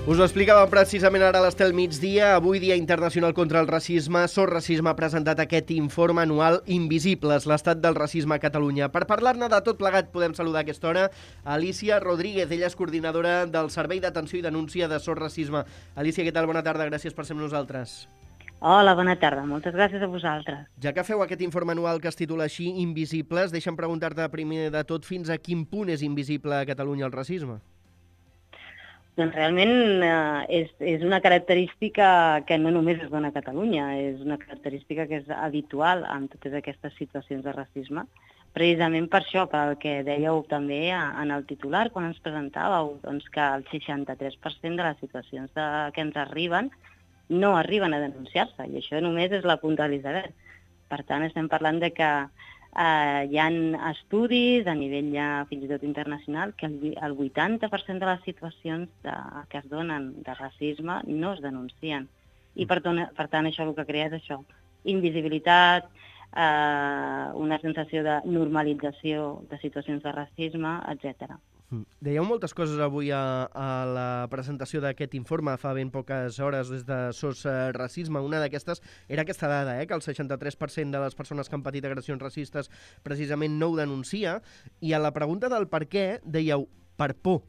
Us ho explicava precisament ara a l'Estel Migdia. Avui, Dia Internacional contra el Racisme, SOS Racisme ha presentat aquest informe anual Invisibles, l'estat del racisme a Catalunya. Per parlar-ne de tot plegat podem saludar a aquesta hora Alicia Rodríguez. Ella és coordinadora del Servei d'Atenció i Denúncia de SOS Racisme. Alicia, què tal? Bona tarda, gràcies per ser amb nosaltres. Hola, bona tarda. Moltes gràcies a vosaltres. Ja que feu aquest informe anual que es titula així, Invisibles, deixa'm preguntar-te primer de tot fins a quin punt és invisible a Catalunya el racisme. Doncs realment és una característica que no només es dona a Catalunya, és una característica que és habitual en totes aquestes situacions de racisme. Precisament per això, pel que dèieu també en el titular, quan ens presentàveu, doncs que el 63% de les situacions que ens arriben no arriben a denunciar-se, i això només és la punta de l'iceberg. Per tant, estem parlant de que hi ha estudis a nivell ja fins i tot internacional que el 80% de les situacions que es donen de racisme no es denuncien. I per tant això el que crea és això, invisibilitat, una sensació de normalització de situacions de racisme, etc. Dèieu moltes coses avui a la presentació d'aquest informe fa ben poques hores des de SOS Racisme. Una d'aquestes era aquesta dada, que el 63% de les persones que han patit agressions racistes precisament no ho denuncia, i a la pregunta del per què dèieu per por.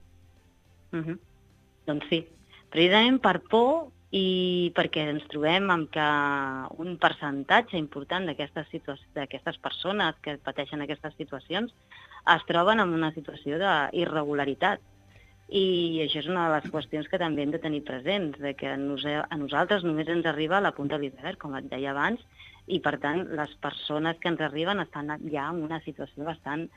Doncs sí, precisament per por i perquè ens trobem amb que un percentatge important d'aquestes persones que pateixen aquestes situacions es troben en una situació d'irregularitat. I això és una de les qüestions que també hem de tenir presents, de que a nosaltres només ens arriba a la punta de l'iceberg, com et deia abans, i per tant les persones que ens arriben estan ja en una situació bastant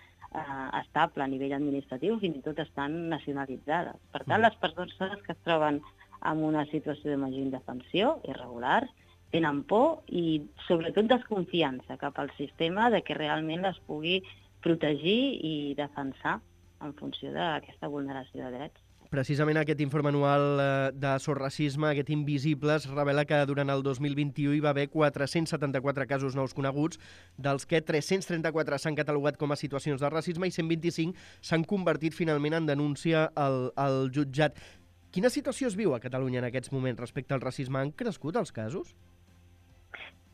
estable a nivell administratiu, fins i tot estan nacionalitzades. Per tant, les persones que es troben en una situació de major indefensió, irregular, tenen por i sobretot desconfiança cap al sistema de que realment les pugui protegir i defensar en funció d'aquesta vulneració de drets. Precisament aquest informe anual de SOS Racisme, aquest Invisibles, revela que durant el 2021 hi va haver 474 casos nous coneguts, dels que 334 s'han catalogat com a situacions de racisme i 125 s'han convertit finalment en denúncia al jutjat. Quina situació es viu a Catalunya en aquests moments respecte al racisme? Han crescut els casos?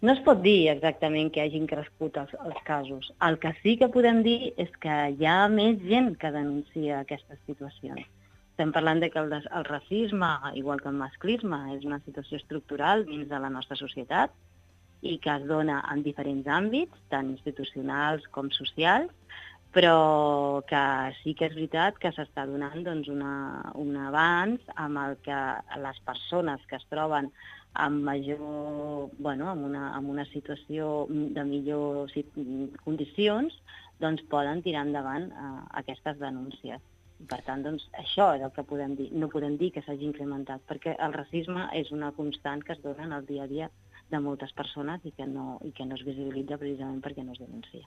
No es pot dir exactament que hagin crescut els casos. El que sí que podem dir és que hi ha més gent que denuncia aquestes situacions. Estem parlant de que el racisme, igual que el masclisme, és una situació estructural dins de la nostra societat i que es dona en diferents àmbits, tant institucionals com socials, però que sí que és veritat que s'està donant doncs, un avanç amb el que les persones que es troben amb una situació de millors condicions, doncs poden tirar endavant aquestes denúncies. Per tant, doncs, això és el que podem dir. No podem dir que s'hagi incrementat, perquè el racisme és una constant que es dona en el dia a dia de moltes persones i que no es visibilitza precisament perquè no es denuncia.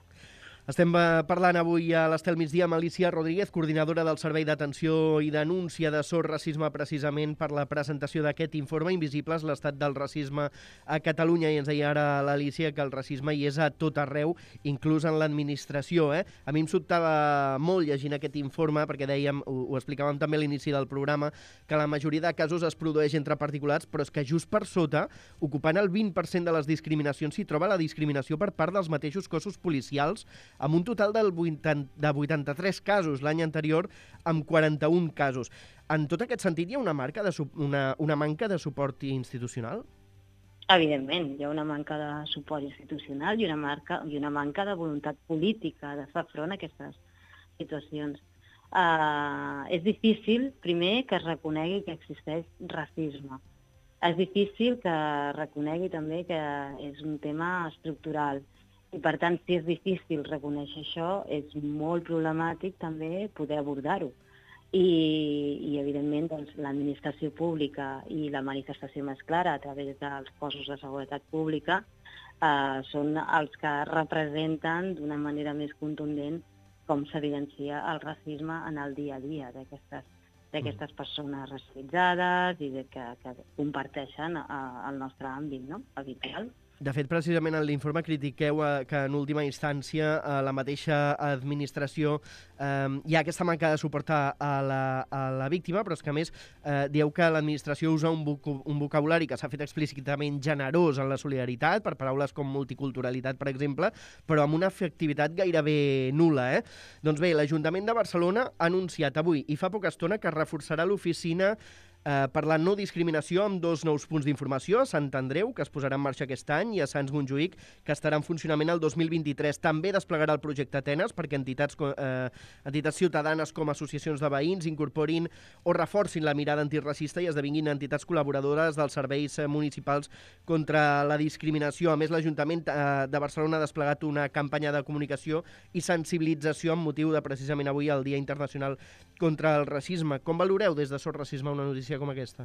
Estem parlant avui a l'Estel Migdia amb Alicia Rodríguez, coordinadora del Servei d'Atenció i Denúncia de SOS Racisme, precisament per la presentació d'aquest informe Invisibles, l'estat del racisme a Catalunya. I ens deia ara l'Alicia que el racisme hi és a tot arreu, inclús en l'administració. A mi em sobtava molt llegint aquest informe, perquè dèiem, ho explicàvem també a l'inici del programa, que la majoria de casos es produeix entre particulars, però és que just per sota, ocupant el 20% de les discriminacions, s'hi troba la discriminació per part dels mateixos cossos policials, amb un total de 83 casos, l'any anterior amb 41 casos. En tot aquest sentit, hi ha una manca de suport institucional? Evidentment, hi ha una manca de suport institucional i una manca de voluntat política de fer front a aquestes situacions. És difícil, primer, que es reconegui que existeix racisme. És difícil que reconegui també que és un tema estructural. I, per tant, si és difícil reconèixer això, és molt problemàtic també poder abordar-ho. I evidentment, doncs, l'administració pública i la manifestació més clara a través dels cossos de seguretat pública són els que representen d'una manera més contundent com s'evidencia el racisme en el dia a dia d'aquestes persones racialitzades i que comparteixen el nostre àmbit, no?, habitual. De fet, precisament en l'informe critiqueu que en última instància la mateixa administració hi ha aquesta manca de suport a la víctima, però és que a més dieu que l'administració usa un vocabulari que s'ha fet explícitament generós en la solidaritat, per paraules com multiculturalitat, per exemple, però amb una efectivitat gairebé nul·la. Doncs bé, l'Ajuntament de Barcelona ha anunciat avui i fa poca estona que reforçarà l'oficina per la no discriminació amb 2 nous punts d'informació, a Sant Andreu, que es posarà en marxa aquest any, i a Sants Montjuïc, que estarà en funcionament el 2023. També desplegarà el projecte Atenes perquè entitats ciutadanes com associacions de veïns incorporin o reforcin la mirada antiracista i esdevinguin entitats col·laboradores dels serveis municipals contra la discriminació. A més, l'Ajuntament de Barcelona ha desplegat una campanya de comunicació i sensibilització amb motiu de precisament avui el Dia Internacional contra el Racisme. Com valoreu des de Sort Racisme una notícia com aquesta?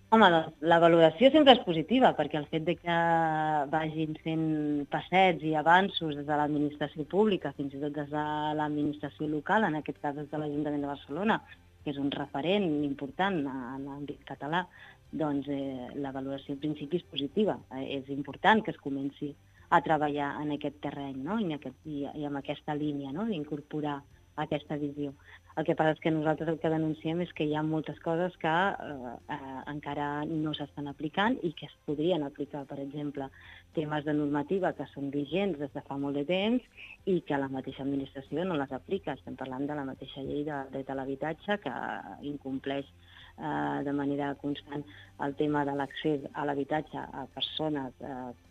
Home, doncs, la valoració sempre és positiva, perquè el fet de que vagin fent passets i avanços des de l'administració pública, fins i tot des de l'administració local, en aquest cas des de l'Ajuntament de Barcelona, que és un referent important en l'àmbit català, doncs la valoració en principi és positiva. És important que es comenci a treballar en aquest terreny, no? I amb aquesta línia, no? D'incorporar aquesta visió. El que passa és que nosaltres el que denunciem és que hi ha moltes coses que encara no s'estan aplicant i que es podrien aplicar, per exemple, temes de normativa que són vigents des de fa molt de temps i que la mateixa administració no les aplica. Estem parlant de la mateixa llei del dret a l'habitatge que incompleix de manera constant el tema de l'accés a l'habitatge a persones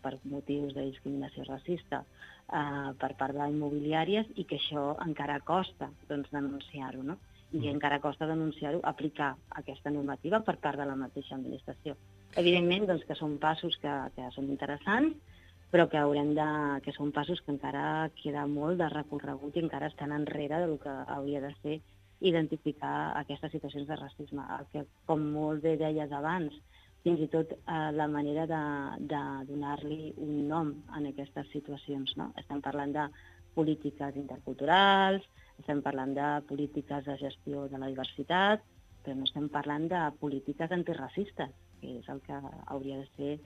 per motius de discriminació racista per part de immobiliàries i que això encara costa denunciar-ho, no? I encara costa denunciar-ho, aplicar aquesta normativa per part de la mateixa administració. Evidentment que són passos que són interessants, però que són passos que encara queda molt de recorregut i encara estan enrere del que hauria de ser identificar aquestes situacions de racisme. El que, com molt bé deies abans, fins i tot la manera de donar-li un nom a aquestes situacions, no? Estem parlant de polítiques interculturals, estem parlant de polítiques de gestió de la diversitat, però no estem parlant de polítiques antiracistes, que és el que hauria de ser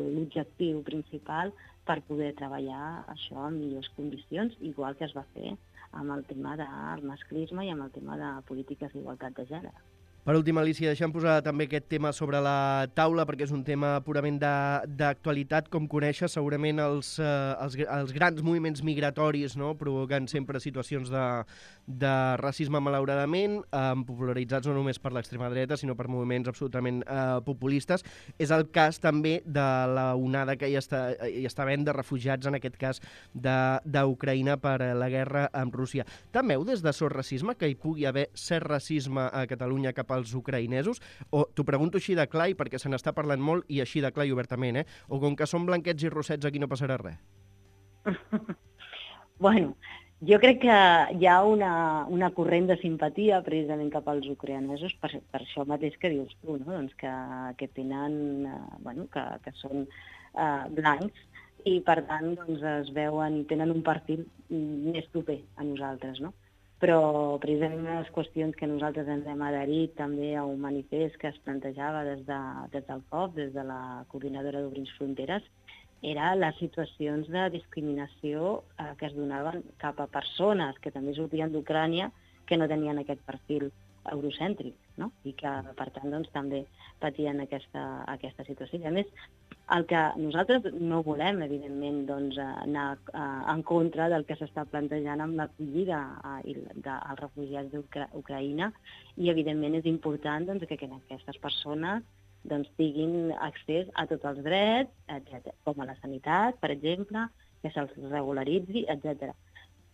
l'objectiu principal per poder treballar això en millors condicions, igual que es va fer amb el tema del masclisme i amb el tema de polítiques d'igualtat de gènere. Per últim, Alicia, deixem posar també aquest tema sobre la taula, perquè és un tema purament d'actualitat. Com coneixes, segurament els grans moviments migratoris, no?, provoquen sempre situacions de racisme, malauradament, popularitzats no només per l'extrema dreta, sinó per moviments absolutament populistes. És el cas també de la onada que hi està havent de refugiats, en aquest cas d'Ucraïna, per la guerra amb Rússia. Temeu des de Sort Racisme que hi pugui haver cert racisme a Catalunya cap als ucraïnesos? O t'ho pregunto així de clar, perquè se n'està parlant molt i així de clar i obertament, o com que són blanquets i rossets aquí no passarà res? Bueno, jo crec que hi ha una corrent de simpatia precisament cap als ucraïnesos per això mateix que dius tu, no? Doncs que tenen, que són blancs i per tant es veuen, tenen un perfil més proper a nosaltres, no? Però precisament una de les qüestions que nosaltres ens hem adherit també a un manifest que es plantejava des del COP, des de la Coordinadora d'Obrins Fronteres, era les situacions de discriminació que es donaven cap a persones que també sortien d'Ucrània que no tenien aquest perfil eurocèntric, no? I que, per tant, també patien aquesta situació. I, a més, el que nosaltres no volem, evidentment, anar en contra del que s'està plantejant amb l'acollida dels refugiats d'Ucraïna i, evidentment, és important que aquestes persones tinguin accés a tots els drets, etc., com a la sanitat, per exemple, que se'ls regularitzi, etc.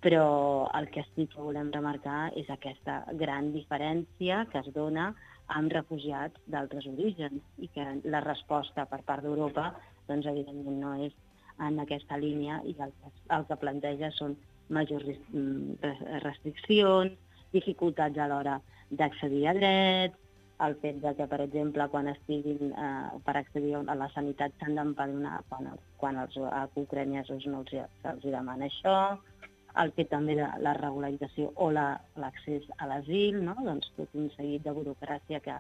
Però el que sí que volem remarcar és aquesta gran diferència que es dona amb refugiats d'altres orígens i que la resposta per part d'Europa, evidentment, no és en aquesta línia i el que planteja són majors restriccions, dificultats a l'hora d'accedir a drets, el fet que, per exemple, quan estiguin per accedir a la sanitat s'han d'empadronar quan els ucraïnesos no els demana això, el fet també de la regularització o l'accés a l'asil, no? Tot un seguit de burocràcia que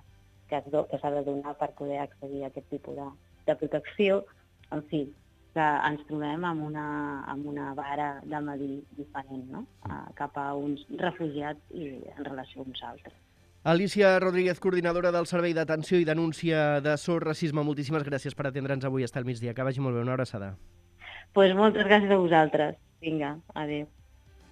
s'ha de donar per poder accedir a aquest tipus de protecció, en fi, que ens trobem amb una vara de medir diferent, no? Cap a uns refugiats i en relació a uns altres. Alicia Rodríguez, coordinadora del Servei d'Atenció i Denúncia de SOS Racisme, moltíssimes gràcies per atendre'ns avui a Estar al migdia. Que vagi molt bé, una abraçada. Doncs moltes gràcies a vosaltres. Vinga, adéu.